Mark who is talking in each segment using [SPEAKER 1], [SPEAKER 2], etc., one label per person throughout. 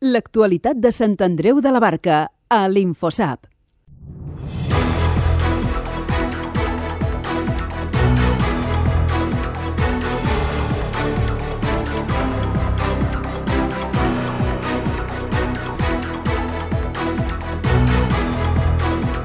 [SPEAKER 1] L'actualitat de Sant Andreu de la Barca, a l'Infosap.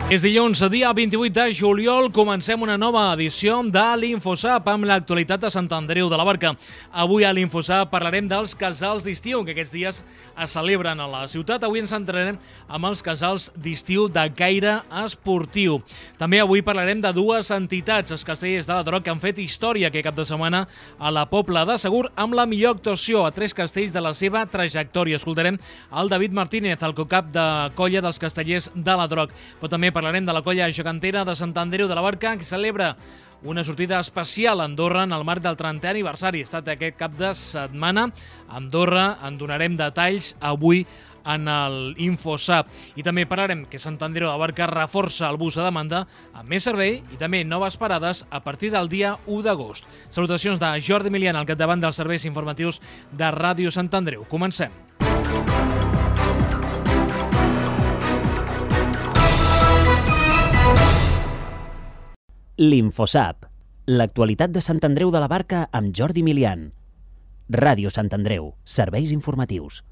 [SPEAKER 2] És dilluns, dia 28 de juliol, comencem una nova edició de l'Infosap amb l'actualitat de Sant Andreu de la Barca. Avui a l'Infosap parlarem dels casals d'estiu que aquests dies es celebren a la ciutat. Avui ens centrarem amb els casals d'estiu de caire esportiu. També avui parlarem de dues entitats, els Castellers de la Droc, que han fet història aquest cap de setmana a la Pobla de Segur amb la millor actuació a 3 castells de la seva trajectòria. Escoltarem el David Martínez, el cocap de colla dels Castellers de la Droc. Però també parlarem de la colla gegantera de Sant Andreu de la Barca, que celebra una sortida especial a Andorra en el marc del 30è aniversari. Ha estat aquest cap de setmana a Andorra. En donarem detalls avui en l'Infosap. I també parlarem que Sant Andreu de la Barca reforça el bus a demanda amb més servei i també noves parades a partir del dia 1 d'agost. Salutacions de Jordi Milian al capdavant dels serveis informatius de Ràdio Sant Andreu. Comencem.
[SPEAKER 3] L'Infosap, l'actualitat de Sant Andreu de la Barca amb Jordi Milian. Ràdio Sant Andreu, serveis informatius.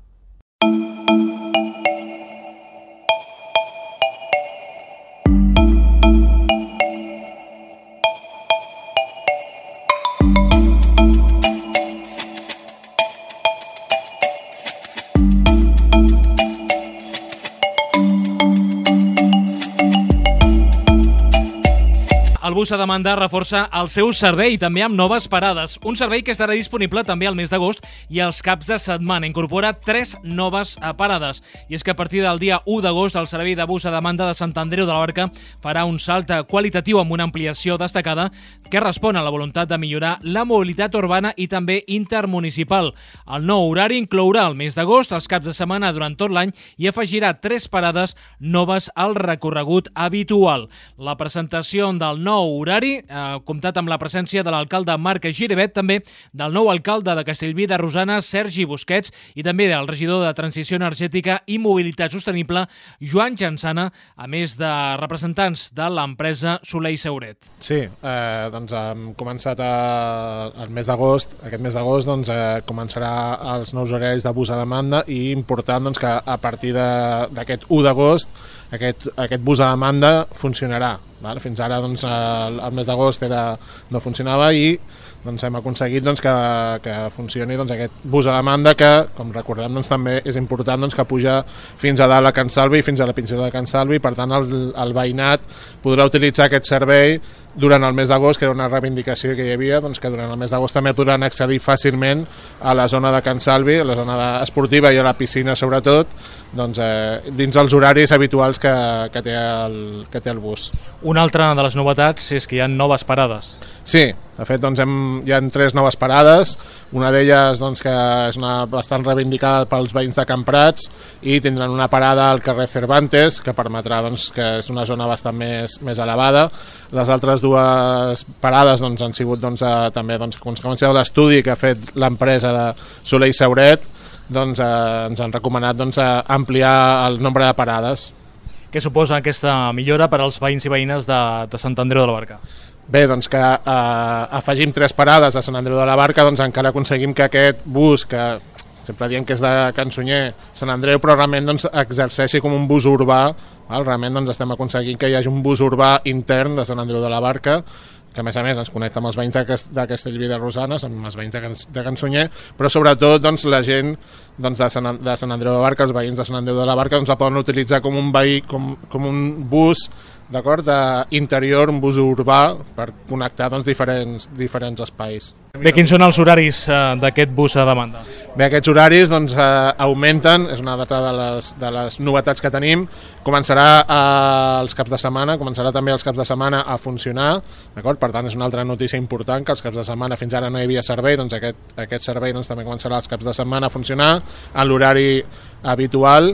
[SPEAKER 2] El bus a demanda reforça el seu servei també amb noves parades. Un servei que estarà disponible també al mes d'agost i als caps de setmana. Incorpora 3 noves parades. I és que a partir del dia 1 d'agost el servei de bus a demanda de Sant Andreu de la Barca farà un salt qualitatiu amb una ampliació destacada que respon a la voluntat de millorar la mobilitat urbana i també intermunicipal. El nou horari inclourà el mes d'agost, els caps de setmana durant tot l'any i afegirà 3 parades noves al recorregut habitual. La presentació del nou horari ha comptat amb la presència de l'alcalde Marc Giribet, també del nou alcalde de Castellví de Rosanes, Sergi Busquets, i també del regidor de Transició Energètica i Mobilitat Sostenible, Joan Jansana, a més de representants de l'empresa Soler i Sauret.
[SPEAKER 4] Sí, doncs hem començat el mes d'agost. Aquest mes d'agost començarà els nous horaris de bus a demanda i important que a partir d'aquest 1 d'agost aquest bus a demanda funcionarà. Fins ara el mes d'agost no funcionava i hem aconseguit que funcioni aquest bus a demanda que, com recordem, també és important que puja fins a dalt a Can Salvi, fins a la Pinzeta de Can Salvi. Per tant, el veïnat podrà utilitzar aquest servei durant el mes d'agost, que era una reivindicació que hi havia, que durant el mes d'agost també podran accedir fàcilment a la zona de Can Salvi, a la zona esportiva i a la piscina sobretot, dins els horaris habituals que té el bus.
[SPEAKER 2] Una altra de les novetats és que hi ha noves parades.
[SPEAKER 4] Sí, de fet hi ha 3 noves parades, una d'elles que és bastant reivindicada pels veïns de Camprats i tindran una parada al carrer Cervantes que permetrà que és una zona bastant més elevada. Les altres 2 parades han sigut també a conseqüència de l'estudi que ha fet l'empresa de Soler i Sauret, ens han recomanat ampliar el nombre de parades.
[SPEAKER 2] Què suposa aquesta millora per als veïns i veïnes de Sant Andreu de la Barca?
[SPEAKER 4] Bé, que afegim 3 parades a Sant Andreu de la Barca, encara aconseguim que aquest bus, que sempre diem que és de Can Sunyer, Sant Andreu, però realment exerceixi com un bus urbà. Realment estem aconseguint que hi hagi un bus urbà intern de Sant Andreu de la Barca, que a més ens connecta amb els veïns de Castellví de Rosanes, amb els veïns de Can Sunyer, però sobretot la gent de Sant Andreu de la Barca, els veïns de Sant Andreu de la Barca, la poden utilitzar com un bus interior, un bus urbà per connectar diferents espais.
[SPEAKER 2] Bé, quins són els horaris d'aquest bus a demanda?
[SPEAKER 4] Bé, aquests horaris augmenten, és una data de les novetats que tenim. Començarà els caps de setmana, començarà també els caps de setmana a funcionar, d'acord? Per tant, és una altra notícia important, que els caps de setmana fins ara no hi havia servei, aquest servei també començarà els caps de setmana a funcionar en l'horari habitual.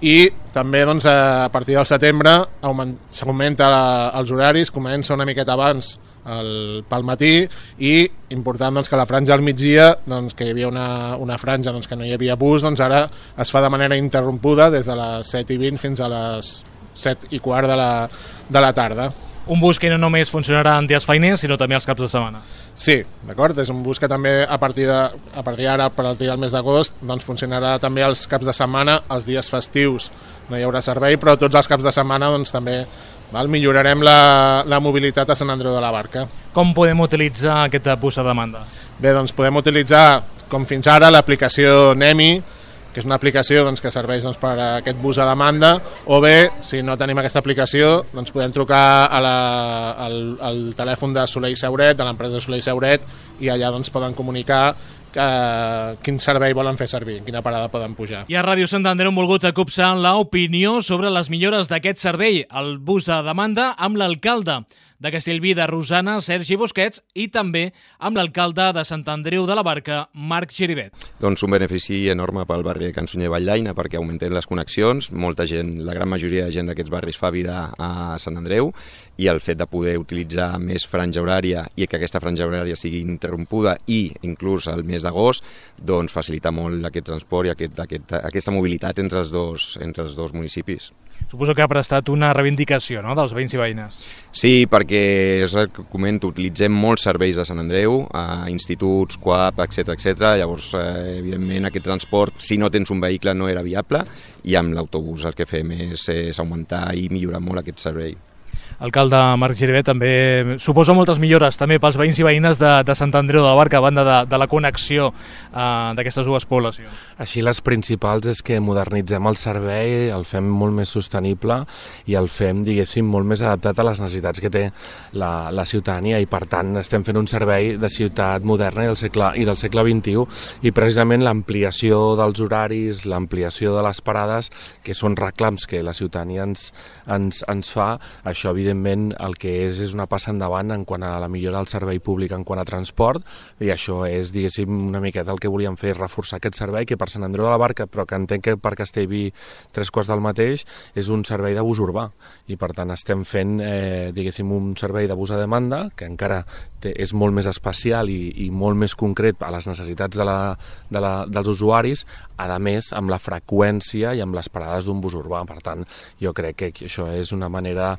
[SPEAKER 4] I també a partir del setembre s'augmenta els horaris, comença una miqueta abans pel matí, i important doncs, que la franja al migdia, doncs, que hi havia una franja doncs, que no hi havia bus, doncs ara es fa de manera interrompuda des de les 7:20 fins a les 7:15 de la tarda.
[SPEAKER 2] Un bus que no només funcionarà en dies feiners, sinó també els caps de setmana.
[SPEAKER 4] Sí, d'acord, és un bus que també a partir d'ara, a partir del mes d'agost, doncs funcionarà també els caps de setmana, els dies festius no hi haurà servei, però tots els caps de setmana doncs, també millorarem la mobilitat a Sant Andreu de la Barca.
[SPEAKER 2] Com podem utilitzar aquest bus a demanda?
[SPEAKER 4] Bé, doncs podem utilitzar, com fins ara, l'aplicació NEMI, que és una aplicació doncs, que serveix doncs, per a aquest bus a demanda, o bé, si no tenim aquesta aplicació, doncs podem trucar al telèfon de Soler i Sauret, de l'empresa Soler i Sauret, i allà doncs, poden comunicar quin servei volen fer servir, en quina parada poden pujar.
[SPEAKER 2] I a Ràdio Sant Andreu hem volgut copsar l'opinió sobre les millores d'aquest servei, el bus de demanda, amb l'alcalde de Castellví de Rosanes, Sergi Busquets, i també amb l'alcalde de Sant Andreu de la Barca, Marc Giribet.
[SPEAKER 5] Doncs un benefici enorme pel barri de Can Sunyer i Valldaina, perquè augmenten les connexions, molta gent, la gran majoria de gent d'aquests barris fa vida a Sant Andreu, i el fet de poder utilitzar més franja horària i que aquesta franja horària sigui interrompuda i inclús al mes d'agost, doncs facilita molt aquest transport i aquesta mobilitat entre els dos municipis.
[SPEAKER 2] Suposo que ha prestat una reivindicació, no?, dels veïns i veïnes.
[SPEAKER 5] Sí, perquè és el que comento, utilitzem molts serveis de Sant Andreu, instituts, CUAP, etc. Llavors, evidentment, aquest transport, si no tens un vehicle, no era viable, i amb l'autobús el que fem és augmentar i millorar molt aquest servei.
[SPEAKER 2] Alcalde Marc Giribet, també suposa moltes millores també pels veïns i veïnes de Sant Andreu de la Barca, a banda de la connexió d'aquestes dues poblacions.
[SPEAKER 6] Així les principals és que modernitzem el servei, el fem molt més sostenible i el fem, diguéssim, molt més adaptat a les necessitats que té la ciutadania, i per tant estem fent un servei de ciutat moderna i del segle XXI, i precisament l'ampliació dels horaris, l'ampliació de les parades, que són reclams que la ciutadania ens fa, això evidentment el que és una passa endavant en quant a la millora del servei públic en quant a transport, i això és, diguéssim, una miqueta el que volíem fer, reforçar aquest servei que per Sant Andreu de la Barca, però que entenc que per Castellví 3/4 del mateix, és un servei de bus urbà, i per tant estem fent, diguéssim, un servei de bus a demanda que encara és molt més especial i molt més concret a les necessitats dels usuaris, a més amb la freqüència i amb les parades d'un bus urbà. Per tant, jo crec que això és una manera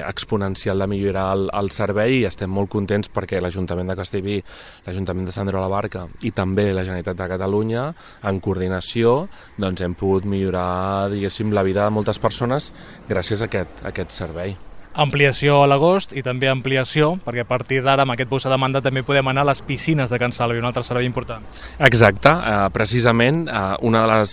[SPEAKER 6] exponencial de millorar el servei, i estem molt contents perquè l'Ajuntament de Castellví, l'Ajuntament de Sant Andreu de la Barca i també la Generalitat de Catalunya, en coordinació, doncs hem pogut millorar, diguéssim, la vida de moltes persones gràcies a aquest servei.
[SPEAKER 2] Ampliació a l'agost i també ampliació, perquè a partir d'ara amb aquest bus a demanda també podem anar a les piscines de Can Salvi, un altre servei important.
[SPEAKER 6] Exacte, precisament una de les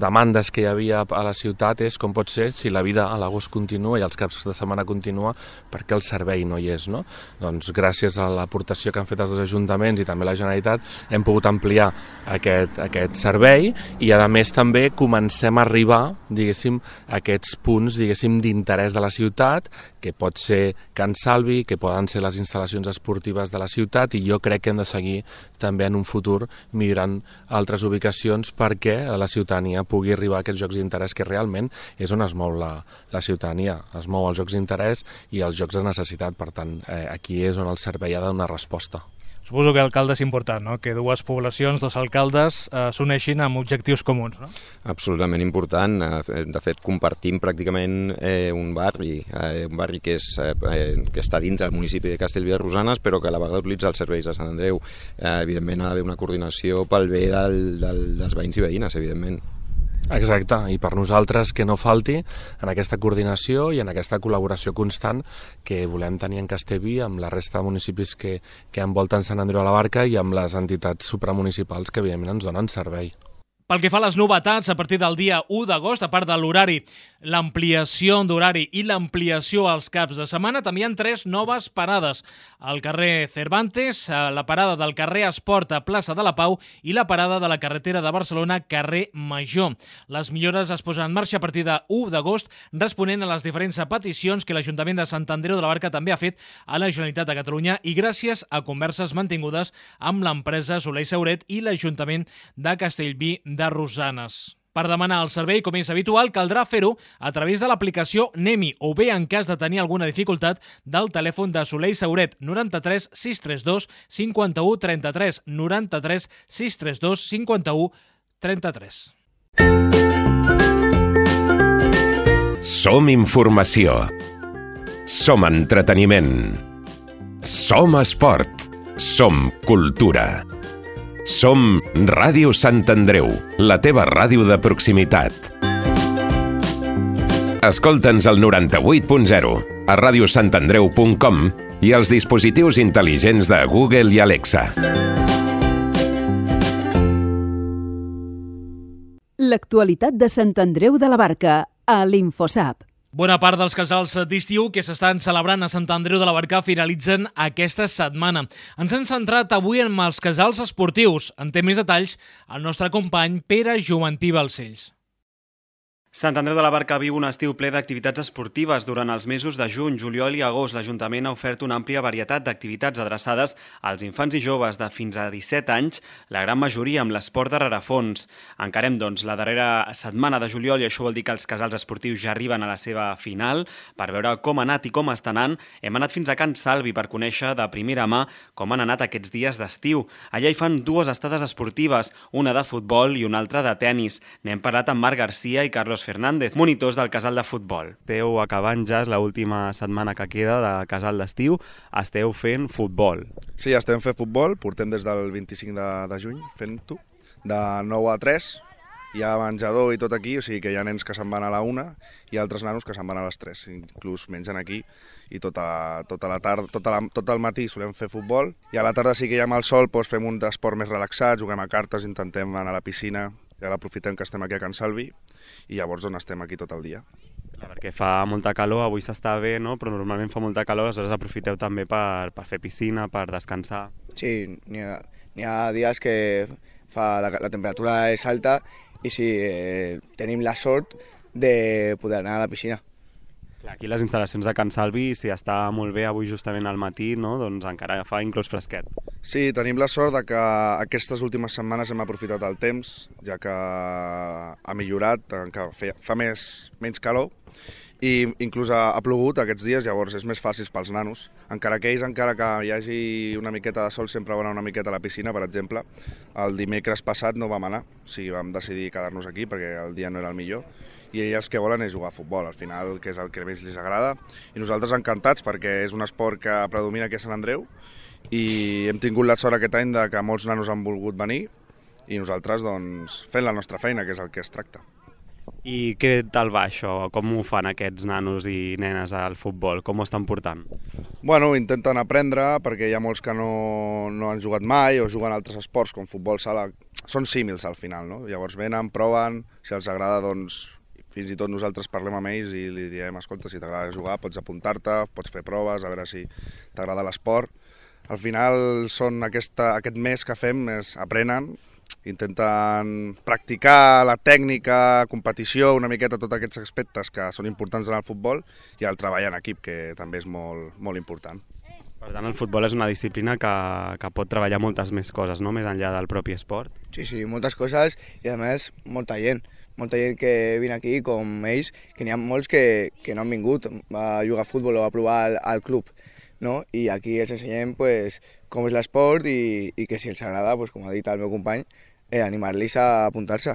[SPEAKER 6] demandes que hi havia a la ciutat és com pot ser si la vida a l'agost continua i els caps de setmana continua, perquè el servei no hi és, no? Doncs gràcies a l'aportació que han fet els dos ajuntaments i també la Generalitat hem pogut ampliar aquest servei, i a més també comencem a arribar, diguéssim, a aquests punts, diguéssim, d'interès de la ciutat, que pot ser Can Salvi, que poden ser les instal·lacions esportives de la ciutat, i jo crec que hem de seguir també en un futur millorant altres ubicacions perquè la ciutadania pugui arribar a aquests jocs d'interès, que realment és on es mou la ciutadania, es mou els jocs d'interès i els jocs de necessitat. Per tant, aquí és on el servei ha de donar resposta.
[SPEAKER 2] Suposo que l'alcalde és important, no?, que dues poblacions, dos alcaldes s'uneixin amb objectius comuns, no?
[SPEAKER 5] Absolutament important. De fet, compartim pràcticament un barri que està dintre del municipi de Castellví de Rosanes, però que a la vegada utilitza els serveis de Sant Andreu. Evidentment ha d'haver una coordinació pel bé dels veïns i veïnes, evidentment.
[SPEAKER 6] Exacte, i per nosaltres que no falti en aquesta coordinació i en aquesta col·laboració constant que volem tenir en Castellví amb la resta de municipis que envolten Sant Andreu de la Barca i amb les entitats supramunicipals que evidentment ens donen servei.
[SPEAKER 2] Pel que fa a les novetats, a partir del dia 1 d'agost, a part de l'horari, l'ampliació d'horari i l'ampliació als caps de setmana, també hi ha 3 noves parades. Al carrer Cervantes, la parada del carrer Esport a plaça de la Pau i la parada de la carretera de Barcelona, carrer Major. Les millores es posen en marxa a partir de 1 d'agost, responent a les diferents peticions que l'Ajuntament de Sant Andreu de la Barca també ha fet a la Generalitat de Catalunya, i gràcies a converses mantingudes amb l'empresa Soler i Sauret i l'Ajuntament de Castellví de Rosanes. Per demanar el servei, com és habitual, caldrà fer-ho a través de l'aplicació Nemi o bé, en cas de tenir alguna dificultat, del telèfon de Soler i Sauret 93 632 51 33 93 632 51 33.
[SPEAKER 7] Som informació. Som entreteniment. Som esport. Som cultura. Som Ràdio Sant Andreu, la teva ràdio de proximitat. Escolta'ns al 98.0, a radiosantandreu.com i als dispositius intel·ligents de Google i Alexa.
[SPEAKER 1] L'actualitat de Sant Andreu de la Barca a l'Infosap.
[SPEAKER 2] Bona part dels casals d'estiu que s'estan celebrant a Sant Andreu de la Barca finalitzen aquesta setmana. Ens hem centrat avui en els casals esportius. En té més detalls el nostre company Pere Joventí Balcells.
[SPEAKER 8] Sant Andreu de la Barca viu un estiu ple d'activitats esportives. Durant els mesos de juny, juliol i agost, l'Ajuntament ha ofert una àmplia varietat d'activitats adreçades als infants i joves de fins a 17 anys, la gran majoria amb l'esport de rerefons. Encarem, doncs, la darrera setmana de juliol i això vol dir que els casals esportius ja arriben a la seva final. Per veure com ha anat i com està anant, hem anat fins a Can Salvi per conèixer de primera mà com han anat aquests dies d'estiu. Allà hi fan dues estades esportives, una de futbol i una altra de tennis. N'hem parlat amb Marc Garcia i Carlos Fernández, monitors del casal de futbol. Esteu acabant ja, és l'última setmana que queda de casal d'estiu, esteu fent futbol.
[SPEAKER 9] Sí, estem fent futbol, portem des del 25 de juny fent-ho, de 9 a 3, hi ha menjador i tot aquí, o sigui que hi ha nens que se'n van a la 1 i altres nanos que se'n van a les 3, inclús mengen aquí i tota la tarda, tot el matí solem fer futbol i a la tarda sí que hi ha el sol, doncs fem un esport més relaxat, juguem a cartes, intentem anar a la piscina i ara aprofitem que estem aquí a Can Salvi i llavors on estem aquí tot el dia.
[SPEAKER 8] Clar, perquè fa molta calor, avui s'està bé, no? Però normalment fa molta calor, aleshores aprofiteu també per fer piscina, per descansar.
[SPEAKER 10] Sí, n'hi ha dies que la temperatura és alta i sí, tenim la sort de poder anar a la piscina.
[SPEAKER 8] Clar, aquí les instal·lacions de Can Salvi, si està molt bé avui justament al matí, no? Doncs encara fa inclús fresquet.
[SPEAKER 9] Sí, tenim la sort de que aquestes últimes setmanes hem aprofitat el temps, ja que ha millorat, que fa menys calor, i inclús ha plogut aquests dies, llavors és més fàcil pels nanos. Encara que ells, encara que hi hagi una miqueta de sol, sempre van anar una miqueta a la piscina, per exemple. El dimecres passat no vam anar, o sigui, vam decidir quedar-nos aquí perquè el dia no era el millor. I ells el que volen és jugar a futbol, al final, que és el que més els agrada. I nosaltres encantats perquè és un esport que predomina aquí a Sant Andreu i hem tingut la sort aquest any que molts nanos han volgut venir i nosaltres doncs, fent la nostra feina, que és el que es tracta.
[SPEAKER 8] I què tal va això? Com ho fan aquests nanos i nenes al futbol? Com ho estan portant?
[SPEAKER 9] Bueno, intenten aprendre perquè hi ha molts que no han jugat mai o juguen altres esports com futbol sala. Són símils al final, no? Llavors venen, proven, si els agrada doncs fins i tot nosaltres parlem amb ells i li diem, escolta, si t'agrada jugar pots apuntar-te, pots fer proves, a veure si t'agrada l'esport. Al final són aquest mes que fem, aprenen, intenten practicar la tècnica, competició, una miqueta tots aquests aspectes que són importants en el futbol i el treball en equip, que també és molt, molt important.
[SPEAKER 8] Per tant, el futbol és una disciplina que pot treballar moltes més coses, no? Més enllà del propi esport.
[SPEAKER 10] Sí, moltes coses i a més molta gent que vine aquí com ells, que n'hi ha molts que no han vingut a jugar a futbol o a provar al club, no? I aquí els ensenyem pues, com és l'esport i que si els agrada, pues, com ha dit el meu company, animar-los a apuntar-se.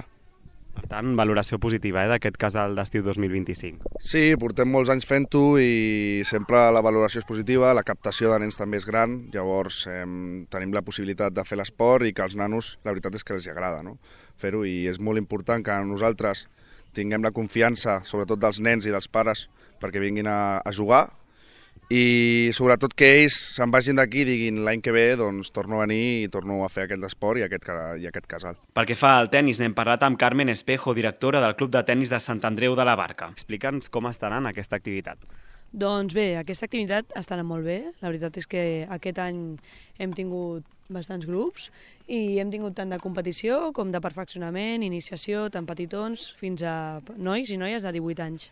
[SPEAKER 8] Per tant, valoració positiva d'aquest casal d'estiu 2025.
[SPEAKER 9] Sí, portem molts anys fent-ho i sempre la valoració és positiva, la captació de nens també és gran, llavors tenim la possibilitat de fer l'esport i que als nanos la veritat és que els agrada, no? Fer-ho i és molt important que nosaltres tinguem la confiança, sobretot dels nens i dels pares, perquè vinguin a jugar i sobretot que ells se'n vagin d'aquí i diguin l'any que ve doncs torno a venir i torno a fer aquest esport i aquest casal.
[SPEAKER 8] Pel que fa al tennis, n'hem parlat amb Carmen Espejo, directora del Club de Tennis de Sant Andreu de la Barca. Explica'ns com està anant aquesta activitat.
[SPEAKER 11] Doncs bé, aquesta activitat està anant molt bé. La veritat és que aquest any hem tingut bastants grups i hem tingut tant de competició com de perfeccionament, iniciació, tant petitons fins a nois i noies de 18 anys.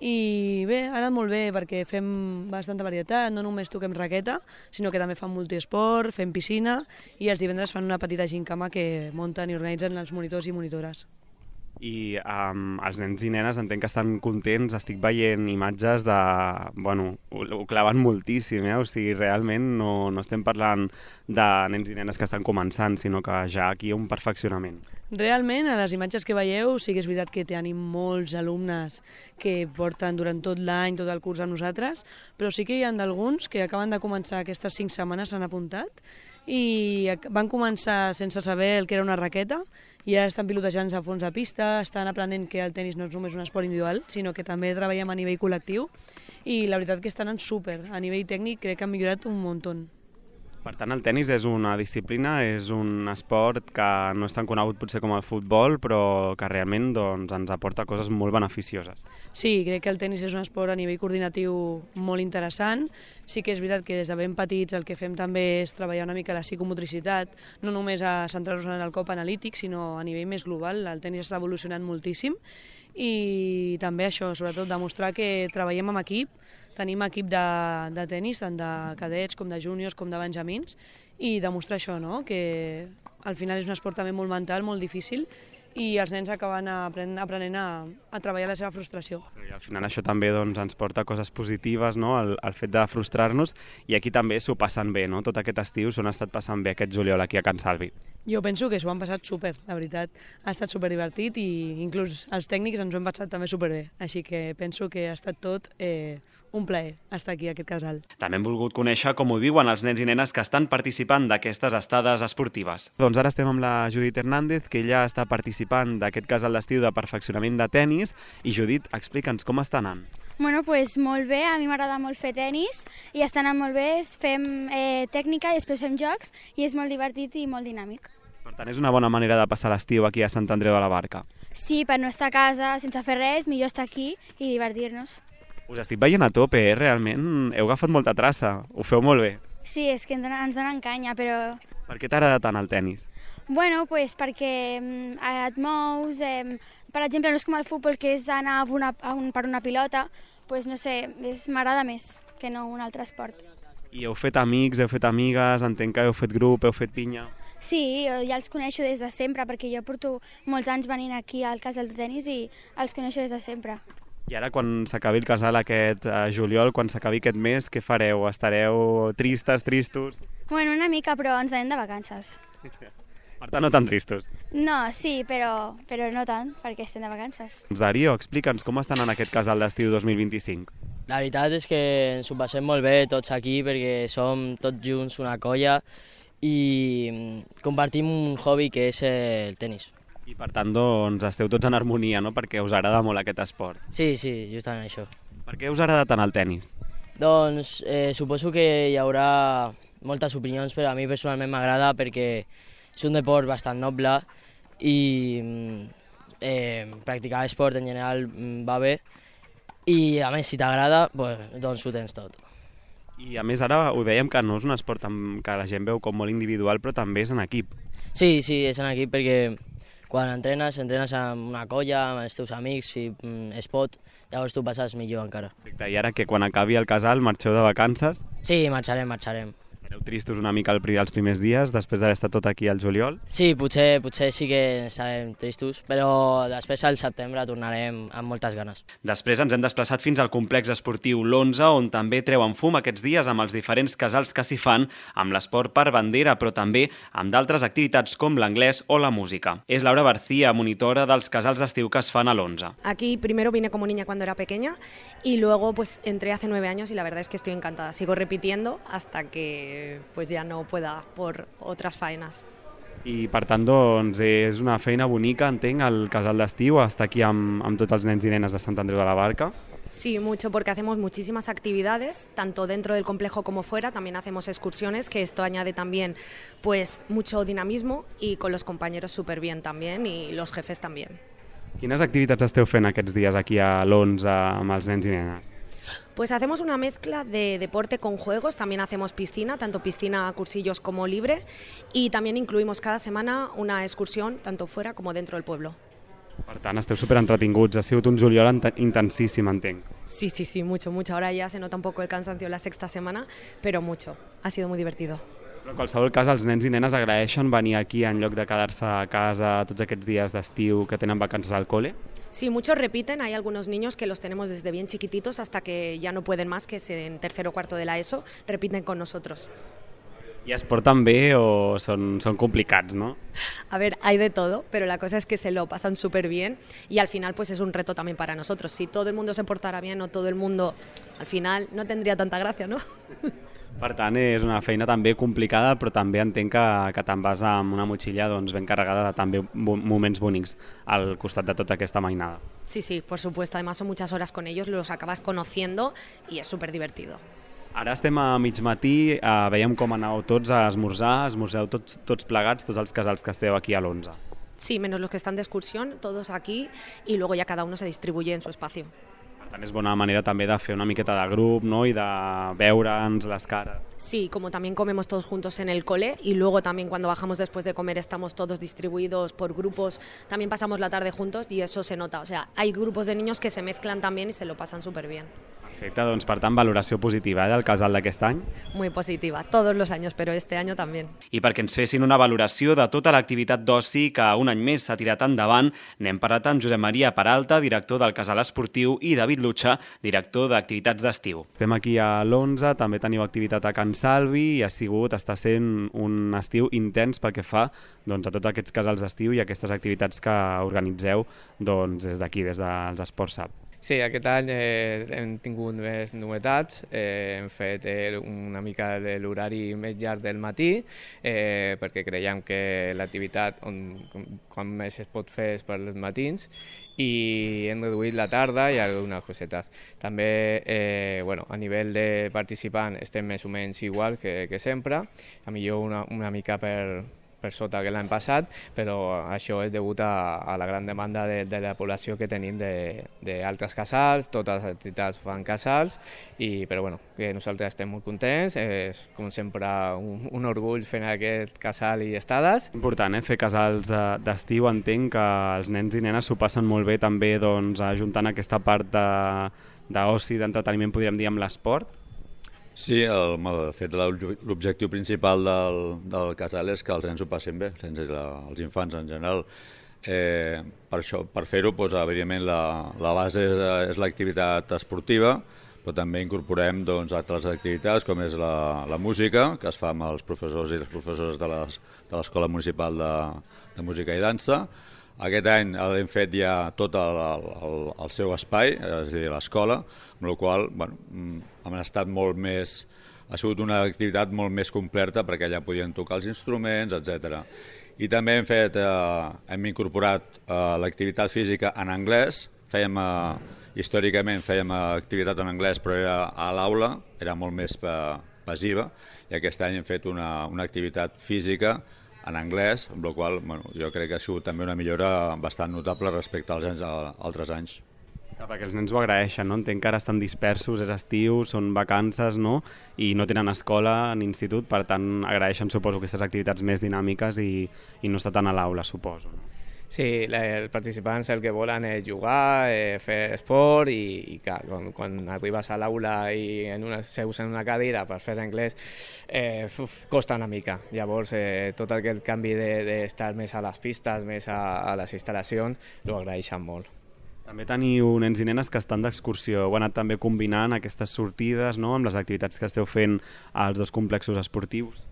[SPEAKER 11] I bé, ha anat molt bé perquè fem bastanta varietat, no només toquem raqueta, sinó que també fan multiesport, fem piscina i els divendres fan una petita gincama que munten i organitzen els monitors i monitores.
[SPEAKER 8] I els nens i nenes entenc que estan contents, estic veient imatges de... Bueno, ho claven moltíssim, o sigui, realment no estem parlant de nens i nenes que estan començant, sinó que ja aquí hi ha un perfeccionament.
[SPEAKER 11] Realment, a les imatges que veieu, sí que és veritat que tenim molts alumnes que porten durant tot l'any, tot el curs amb nosaltres, però sí que hi ha d'alguns que acaben de començar aquestes 5 setmanes, s'han apuntat, i van començar sense saber el que era una raqueta, i ja estan pilotejant-se a fons de pista, estan aprenent que el tenis no és només un esport individual, sinó que també treballem a nivell col·lectiu, i la veritat que estan en súper. A nivell tècnic crec que han millorat un muntó.
[SPEAKER 8] Per tant, el tenis és una disciplina, és un esport que no és tan conegut potser com el futbol, però que realment ens aporta coses molt beneficioses.
[SPEAKER 11] Sí, crec que el tenis és un esport a nivell coordinatiu molt interessant. Sí que és veritat que des de ben petits el que fem també és treballar una mica la psicomotricitat, no només a centrar-nos en el cop analític, sinó a nivell més global. El tenis està evolucionant moltíssim i també això, sobretot demostrar que treballem en equip. Tenim equip de tenis, tant de cadets com de júniors com de benjamins, i demostrar això, no? Que al final és un esport també molt mental, molt difícil, i els nens acaben aprenent a treballar la seva frustració.
[SPEAKER 8] I al final això també ens porta coses positives, no? El fet de frustrar-nos, i aquí també s'ho passen bé, no? Tot aquest estiu s'ho han estat passant bé aquest juliol aquí a Can Salvi.
[SPEAKER 11] Jo penso que s'ho han passat súper, la veritat. Ha estat superdivertit i inclús els tècnics ens ho hem passat també superbé. Així que penso que ha estat tot un plaer estar aquí a aquest casal.
[SPEAKER 8] També hem volgut conèixer com ho viuen els nens i nenes que estan participant d'aquestes estades esportives. Doncs ara estem amb la Judit Hernández, que ella està participant d'aquest casal d'estiu de perfeccionament de tenis. I Judit, explica'ns com està anant.
[SPEAKER 12] Bueno, pues molt bé, a mi m'agrada molt fer tenis i està anant molt bé, fem tècnica i després fem jocs i és molt divertit i molt dinàmic.
[SPEAKER 8] Per tant, és una bona manera de passar l'estiu aquí a Sant Andreu de la Barca.
[SPEAKER 12] Sí, per no estar a casa sense fer res, millor estar aquí i divertir-nos.
[SPEAKER 8] Us estic veient a tope, realment heu agafat molta traça, ho feu molt bé.
[SPEAKER 12] Sí, és que ens donen canya, però...
[SPEAKER 8] Per què t'agrada tant el tenis?
[SPEAKER 12] Bueno, pues perquè et mous, per exemple, no és com el futbol, que és anar per una pilota, pues no sé, m'agrada més que no un altre esport.
[SPEAKER 8] I heu fet amics, heu fet amigues, entenc que heu fet grup, heu fet pinya...
[SPEAKER 12] Sí, ja els coneixo des de sempre, perquè jo porto molts anys venint aquí al casal de tenis i els coneixo des de sempre.
[SPEAKER 8] I ara, quan s'acabi el casal aquest juliol, quan s'acabi aquest mes, què fareu? Estareu tristos?
[SPEAKER 12] Bueno, una mica, però ens anem de vacances.
[SPEAKER 8] Per tant, no tan tristos.
[SPEAKER 12] No, sí, però no tant, perquè estem de vacances.
[SPEAKER 8] Darío, explica'ns com estan en aquest casal d'estiu 2025.
[SPEAKER 13] La veritat és que ens ho passem molt bé tots aquí, perquè som tots junts una colla i compartim un hobby que és el tenis.
[SPEAKER 8] I per tant, doncs, esteu tots en harmonia, no? Perquè us agrada molt aquest esport.
[SPEAKER 13] Sí, justament això.
[SPEAKER 8] Per què us agrada tant el tenis?
[SPEAKER 13] Doncs suposo que hi haurà moltes opinions, però a mi personalment m'agrada perquè és un deport bastant noble i practicar l'esport en general va bé i a més si t'agrada doncs ho tens tot.
[SPEAKER 8] I a més ara ho dèiem que no és un esport que la gent veu com molt individual, però també és en equip.
[SPEAKER 13] Sí, és en equip perquè quan entrenes amb una colla, amb els teus amics, si es pot, llavors tu passes millor encara.
[SPEAKER 8] Perfecte. I ara que quan acabi el casal marxeu de vacances?
[SPEAKER 13] Sí, marxarem.
[SPEAKER 8] Estareu tristos una mica els primers dies, després d'haver estat tot aquí al juliol?
[SPEAKER 13] Sí, potser sí que estarem tristos, però després al setembre tornarem amb moltes ganes.
[SPEAKER 8] Després ens hem desplaçat fins al complex esportiu l'11, on també treuen fum aquests dies amb els diferents casals que s'hi fan, amb l'esport per bandera, però també amb d'altres activitats com l'anglès o la música. És Laura García, monitora dels casals d'estiu que es fan a l'11.
[SPEAKER 14] Aquí primero vine como niña cuando era pequeña y luego pues entré hace 9 años y la verdad es que estoy encantada. Sigo repitiendo hasta que pues ya no pueda por otras faenas.
[SPEAKER 8] I per tant, doncs, és una feina bonica, entenc, el casal d'estiu, estar aquí amb tots els nens i nenes de Sant Andreu de la Barca.
[SPEAKER 14] Sí, mucho, porque hacemos muchísimas actividades, tanto dentro del complejo como fuera, también hacemos excursiones, que esto añade también pues mucho dinamismo y con los compañeros súper bien también y los jefes también.
[SPEAKER 8] Quines activitats esteu fent aquests dies aquí a l'11 amb els nens i nenes?
[SPEAKER 14] Pues hacemos una mezcla de deporte con juegos, también hacemos piscina, tanto piscina a cursillos como libre, y también incluimos cada semana una excursión, tanto fuera como dentro del pueblo.
[SPEAKER 8] Per tant, esteu superentretinguts, ha sigut un juliol intensíssim, entenc.
[SPEAKER 14] Sí, mucho. Ahora ya se nota un poco el cansancio la sexta semana, pero mucho. Ha sido muy divertido.
[SPEAKER 8] Però en qualsevol cas, els nens i nenes agraeixen venir aquí en lloc de quedar-se a casa tots aquests dies d'estiu que tenen vacances al cole?
[SPEAKER 14] Sí, muchos repiten, hay algunos niños que los tenemos desde bien chiquititos hasta que ya no pueden más, que es en tercero o cuarto de la ESO, repiten con nosotros.
[SPEAKER 8] ¿Y es portan bé o son complicats, no?
[SPEAKER 14] A ver, hay de todo, pero la cosa es que se lo pasan súper bien y al final pues es un reto también para nosotros. Si todo el mundo se portara bien o todo el mundo, al final no tendría tanta gracia, ¿no?
[SPEAKER 8] Per tant, és una feina també complicada, però també entenc que te'n vas amb una motxilla ben carregada de també moments bonics al costat de tota aquesta mainada.
[SPEAKER 14] Sí, por supuesto. Además son muchas horas con ellos, los acabas conociendo y es súper divertido.
[SPEAKER 8] Ara estem a mig matí, veiem com aneu tots a esmorzar, esmorzeu tots plegats, tots els casals que esteu aquí a l'11.
[SPEAKER 14] Sí, menos los que están de excursión, todos aquí y luego ya cada uno se distribuye en su espacio.
[SPEAKER 8] Per tant, és bona manera també de fer una miqueta de grup, no?, i de veure'ns les cares.
[SPEAKER 14] Sí, como también comemos todos juntos en el cole y luego también cuando bajamos después de comer estamos todos distribuidos por grupos, también pasamos la tarde juntos y eso se nota. O sea, hay grupos de niños que se mezclan también y se lo pasan súper bien.
[SPEAKER 8] Perfecte, doncs per tant, valoració positiva del casal d'aquest any.
[SPEAKER 14] Muy positiva, todos los años, pero este año también.
[SPEAKER 8] I perquè ens fessin una valoració de tota l'activitat d'oci que un any més s'ha tirat endavant, n'hem parlat amb Josep Maria Peralta, director del casal esportiu, i David Lutxa, director d'activitats d'estiu. Estem aquí a l'11, també teniu activitat a Can Salvi i està sent un estiu intens pel que fa a tots aquests casals d'estiu i aquestes activitats que organitzeu des d'aquí, des dels Esports SAP.
[SPEAKER 15] Sí, aquest any hem tingut més novetats, hem fet una mica l'horari més llarg del matí perquè creiem que l'activitat quan més es pot fer és per els matins i hem reduït la tarda i algunes cosetes. També a nivell de participant estem més o menys igual que sempre, a millor una mica per sota que l'any passat, però això és degut a la gran demanda de la població que tenim d'altres casals, totes les entitats fan casals, però que nosaltres estem molt contents, és com sempre un orgull fent aquest casal i estades. Important, fer casals d'estiu, entenc que els nens i nenes s'ho passen molt bé també ajuntant aquesta part d'oci, d'entreteniment, podríem dir, amb l'esport.
[SPEAKER 16] Sí, de fet l'objectiu principal del casal és que els nens ho passin bé, els infants en general. Per fer-ho, evidentment, la base és l'activitat esportiva, però també incorporem altres activitats com és la música, que es fa amb els professors i les professores de l'Escola Municipal de Música i Dansa. Aquest any l'hem fet ja tot el seu espai, és a dir, l'escola, amb la qual hem estat molt més... Ha sigut una activitat molt més completa perquè allà podien tocar els instruments, etc. I també hem incorporat l'activitat física en anglès. Històricament fèiem activitat en anglès, però era a l'aula, era molt més passiva, i aquest any hem fet una activitat física en anglès, amb la qual jo crec que ha sigut també una millora bastant notable respecte als altres anys.
[SPEAKER 8] Perquè els nens ho agraeixen, no? Entenc que ara estan dispersos, és estiu, són vacances, no? I no tenen escola ni institut, per tant agraeixen, suposo, aquestes activitats més dinàmiques i no estar tant a l'aula, suposo.
[SPEAKER 15] Sí, els participants el que volen és jugar, fer esport i clar, quan arribes a l'aula i seus en una cadira per fer anglès costa una mica. Llavors tot aquest canvi d'estar més a les pistes, més a les instal·lacions, ho agraeixen molt.
[SPEAKER 8] També teniu nens i nenes que estan d'excursió. Heu anat també combinant aquestes sortides, no?, amb les activitats que esteu fent als dos complexos esportius.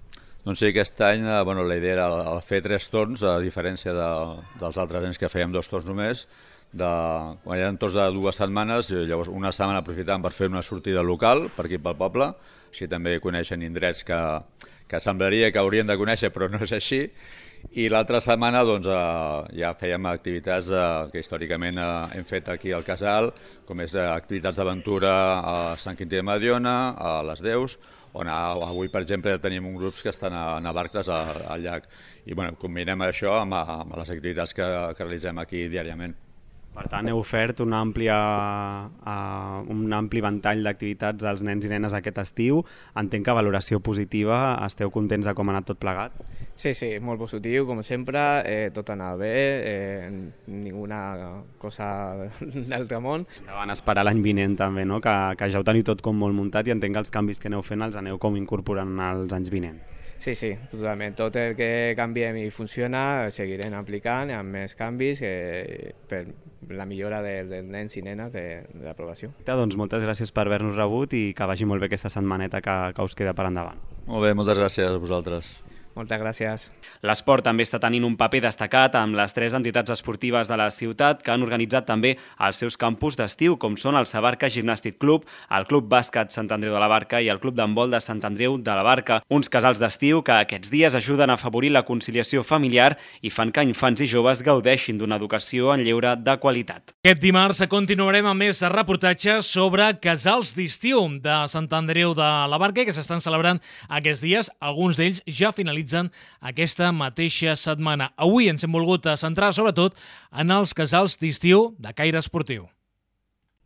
[SPEAKER 16] Doncs sí, aquest any la idea era fer 3 torns, a diferència dels altres anys que fèiem 2 torns només. Quan eren torns de 2 setmanes, llavors una setmana aprofitàvem per fer una sortida local per aquí pel poble, així també coneixen indrets que semblaria que haurien de conèixer però no és així. I l'altra setmana ja fèiem activitats que històricament hem fet aquí al casal, com és activitats d'aventura a Sant Quintí de Mediona, a les Deus, on avui, per exemple, tenim uns grups que estan a barques al llac. I combinem això amb les activitats que realitzem aquí diàriament.
[SPEAKER 8] Per tant, heu ofert un ampli ventall d'activitats als nens i nenes aquest estiu. Entenc que valoració positiva, esteu contents de com ha anat tot plegat?
[SPEAKER 15] Sí, molt positiu, com sempre, tot anava bé, ninguna cosa d'altre món.
[SPEAKER 8] Van esperar l'any vinent també, no?, que ja ho teniu tot com molt muntat i entenc que els canvis que aneu fent els aneu com incorporant als anys vinents.
[SPEAKER 15] Sí, totalment. Tot el que canviem i funciona seguirem aplicant amb més canvis per la millora dels nens i nenes de la població.
[SPEAKER 8] Doncs moltes gràcies per haver-nos rebut i que vagi molt bé aquesta setmaneta que us queda per endavant.
[SPEAKER 16] Molt bé, moltes gràcies a vosaltres.
[SPEAKER 15] Moltes gràcies.
[SPEAKER 8] L'esport també està tenint un paper destacat amb les 3 entitats esportives de la ciutat que han organitzat també els seus campus d'estiu, com són el Sabarca Gimnàstic Club, el Club Bàsquet Sant Andreu de la Barca i el Club d'Handbol de Sant Andreu de la Barca. Uns casals d'estiu que aquests dies ajuden a afavorir la conciliació familiar i fan que infants i joves gaudeixin d'una educació en lleure de qualitat.
[SPEAKER 2] Aquest dimarts continuarem amb més reportatges sobre casals d'estiu de Sant Andreu de la Barca que s'estan celebrant aquests dies. Alguns d'ells ja finalitzen aquesta mateixa setmana. Avui ens hem volgut centrar sobretot en els casals d'estiu de caire esportiu.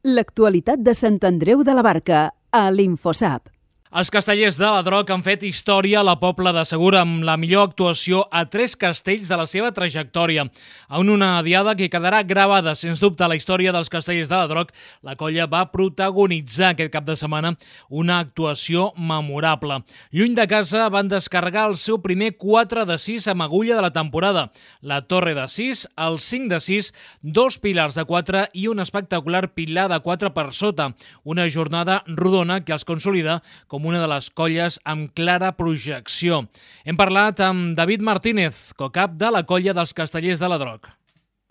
[SPEAKER 1] L'actualitat de Sant Andreu de la Barca a l'Infosap.
[SPEAKER 2] Els castellers de la Droc han fet història a la Pobla de Segur amb la millor actuació a 3 castells de la seva trajectòria. En una diada que quedarà gravada, sens dubte, a la història dels castellers de la Droc, la colla va protagonitzar aquest cap de setmana una actuació memorable. Lluny de casa van descarregar el seu primer 4 de 6 amb agulla de la temporada. La torre de 6, el 5 de 6, 2 pilars de 4 i un espectacular pilar de 4 per sota. Una jornada rodona que els consolida com una de les colles amb clara projecció. Hem parlat amb David Martínez, cocap de la colla dels castellers de la Droc.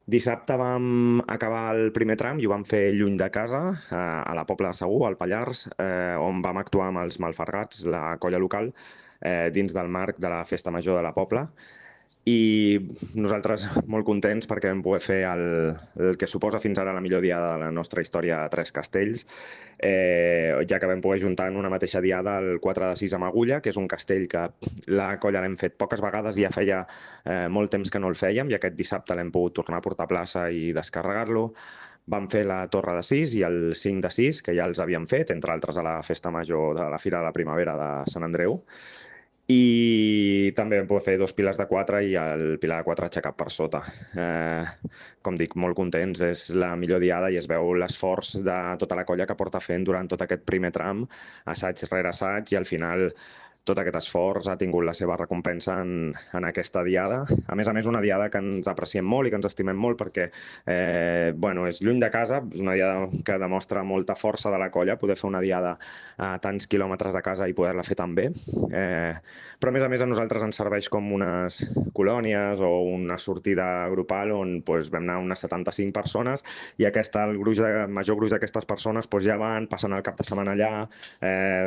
[SPEAKER 17] Dissabte vam acabar el primer tram i ho vam fer lluny de casa, a la Pobla de Segur, al Pallars, on vam actuar amb els Malfergats, la colla local, dins del marc de la Festa Major de la Pobla. I nosaltres molt contents perquè vam poder fer el que suposa fins ara la millor diada de la nostra història a 3 castells, ja que vam poder juntar en una mateixa diada el 4 de 6 amb agulla, que és un castell que la colla l'hem fet poques vegades i ja feia molt temps que no el fèiem, i aquest dissabte l'hem pogut tornar a portar a plaça i descarregar-lo. Vam fer la torre de 6 i el 5 de 6, que ja els havíem fet, entre altres a la Festa Major de la Fira de la Primavera de Sant Andreu. I també vam poder fer 2 pilars de 4 i el pilar de 4 aixecat per sota. Com dic, molt contents, és la millor diada i es veu l'esforç de tota la colla que porta fent durant tot aquest primer tram, assaig rere assaig, i al final tot aquest esforç ha tingut la seva recompensa en aquesta diada. A més, una diada que ens apreciem molt i que ens estimem molt perquè és lluny de casa, és una diada que demostra molta força de la colla, poder fer una diada a tants quilòmetres de casa i poder-la fer tan bé. Però a més a nosaltres ens serveix com unes colònies o una sortida grupal on vam anar unes 75 persones i el major gruix d'aquestes persones ja van, passen el cap de setmana allà,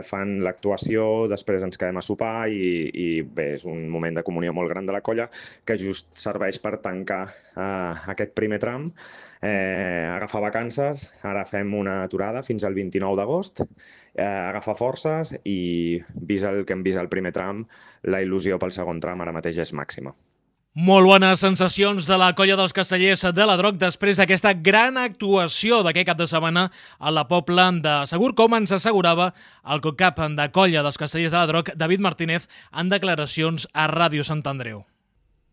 [SPEAKER 17] fan l'actuació, després ens quedem a sopar i bé, és un moment de comunió molt gran de la colla que just serveix per tancar aquest primer tram, agafar vacances. Ara fem una aturada fins al 29 d'agost, agafar forces i, vist el que hem vist al primer tram, la il·lusió pel segon tram ara mateix és màxima.
[SPEAKER 2] Molt bones sensacions de la colla dels castellers de la Droc després d'aquesta gran actuació d'aquest cap de setmana a la Pobla de Segur, com ens assegurava el cocap de colla dels castellers de la Droc, David Martínez, en declaracions a Ràdio Sant Andreu.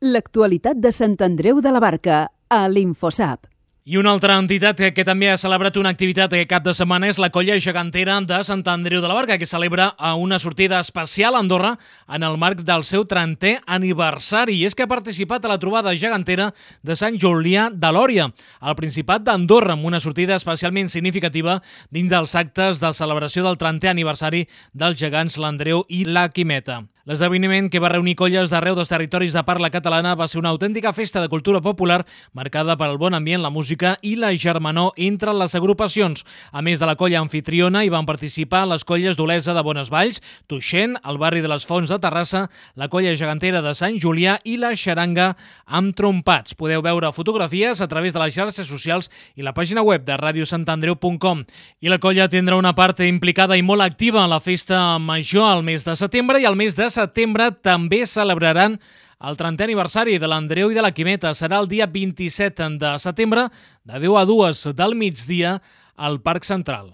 [SPEAKER 1] L'actualitat de Sant Andreu de la Barca a l'Infosap.
[SPEAKER 2] I una altra entitat que també ha celebrat una activitat aquest cap de setmana és la colla gegantera de Sant Andreu de la Barca, que celebra una sortida especial a Andorra en el marc del seu 30è aniversari. I és que ha participat a la trobada gegantera de Sant Julià de Lòria, al Principat d'Andorra, amb una sortida especialment significativa dins dels actes de celebració del 30è aniversari dels gegants l'Andreu i la Quimeta. L'esdeveniment, que va reunir colles d'arreu dels territoris de parla catalana, va ser una autèntica festa de cultura popular marcada per el bon ambient, la música i la germanor entre les agrupacions. A més de la colla anfitriona, hi van participar les colles d'Olesa de Bonesvalls, Tuixent, el barri de les Fonts de Terrassa, la colla gegantera de Sant Julià i la xaranga amb trompats. Podeu veure fotografies a través de les xarxes socials i la pàgina web de radiosantandreu.com. I la colla tindrà una part implicada i molt activa a la festa major al mes de setembre, i al mes de setembre també celebraran el 30è aniversari de l'Andreu i de la Quimeta. Serà el dia 27 de setembre, de 10 a 2 del migdia, al Parc Central.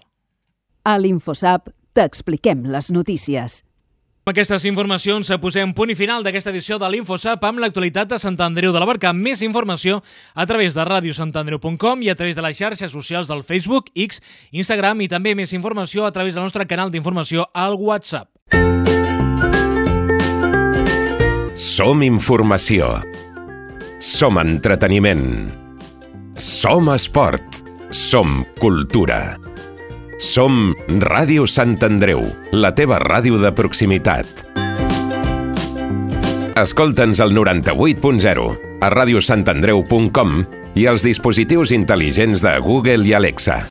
[SPEAKER 1] A l'Infosap t'expliquem les notícies.
[SPEAKER 2] Amb aquestes informacions posem punt i final d'aquesta edició de l'Infosap amb l'actualitat de Sant Andreu de la Barca. Més informació a través de radiosantandreu.com i a través de les xarxes socials del Facebook, X, Instagram, i també més informació a través del nostre canal d'informació al WhatsApp.
[SPEAKER 7] Som informació. Som entreteniment. Som esport. Som cultura. Som Ràdio Sant Andreu, la teva ràdio de proximitat. Escolta'ns al 98.0, a radiosantandreu.com i als dispositius intel·ligents de Google i Alexa.